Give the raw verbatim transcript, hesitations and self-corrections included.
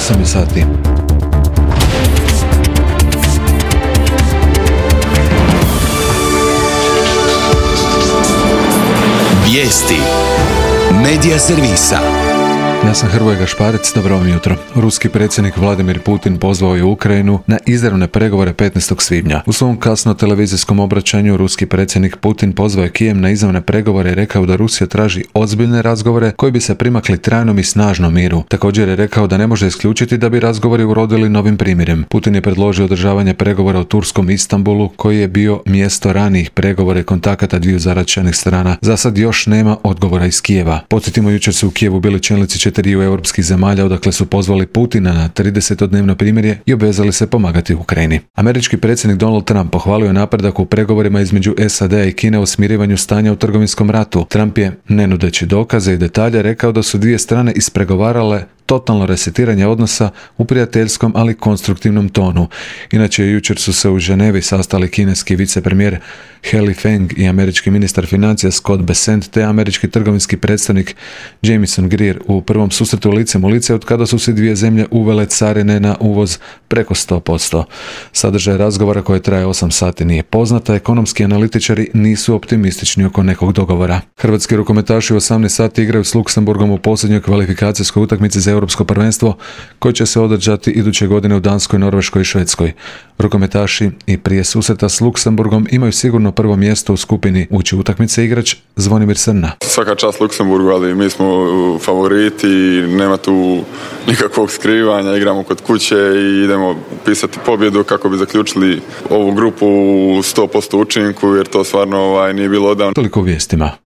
osam je sati. Vijesti Medija servisa. Ja sam Hrvoje Gašparec, dobro vam jutro. Ruski predsjednik Vladimir Putin pozvao je Ukrajinu na izravne pregovore petnaestog svibnja. U svom kasno televizijskom obraćanju ruski predsjednik Putin pozvao je Kijev na izravne pregovore i rekao da Rusija traži ozbiljne razgovore koji bi se primakli trajnom i snažnom miru. Također je rekao da ne može isključiti da bi razgovori urodili novim primirjem. Putin je predložio održavanje pregovora u turskom Istanbulu, koji je bio mjesto ranijih pregovora i kontakata dviju zaraćenih strana. Za sad još nema odgovora iz Kijeva. Podsjetimo, jučer su u Kijevu bili čelnici četiriju europskih zemalja, odakle su pozvali Putina na tridesetodnevno primirje i obvezali se pomagati Ukrajini. Američki predsjednik Donald Trump pohvalio je napredak u pregovorima između S A D-a i Kine o smirivanju stanja u trgovinskom ratu. Trump je, ne nudeći dokaze i detalje, rekao da su dvije strane ispregovarale totalno resetiranje odnosa u prijateljskom, ali konstruktivnom tonu. Inače, jučer su se u Ženevi sastali kineski vicepremijer He Feng i američki ministar financija Scott Bessent te američki trgovinski predstavnik Jamieson Greer u prvom susretu licem u lice od kada su se dvije zemlje uvele carine na uvoz preko sto posto. Sadržaj razgovora koji traje osam sati nije poznata, ekonomski analitičari nisu optimistični oko nekog dogovora. Hrvatski rukometaši u osamnaest sati igraju s Luksemburgom u posljednjoj kvalifikacijskoj utakmici za Europsko prvenstvo koje će se održati iduće godine u Danskoj, Norveškoj i Švedskoj. Rukometaši i prije susreta s Luksemburgom imaju sigurno prvo mjesto u skupini. Uči utakmice igrač Zvonimir Srna. Svaka čast Luksemburgu, ali mi smo favoriti, nema tu nikakvog skrivanja, igramo kod kuće i idemo pisati pobjedu kako bi zaključili ovu grupu u sto posto učinku, jer to stvarno ovaj, nije bilo odavno. Toliko u vijestima.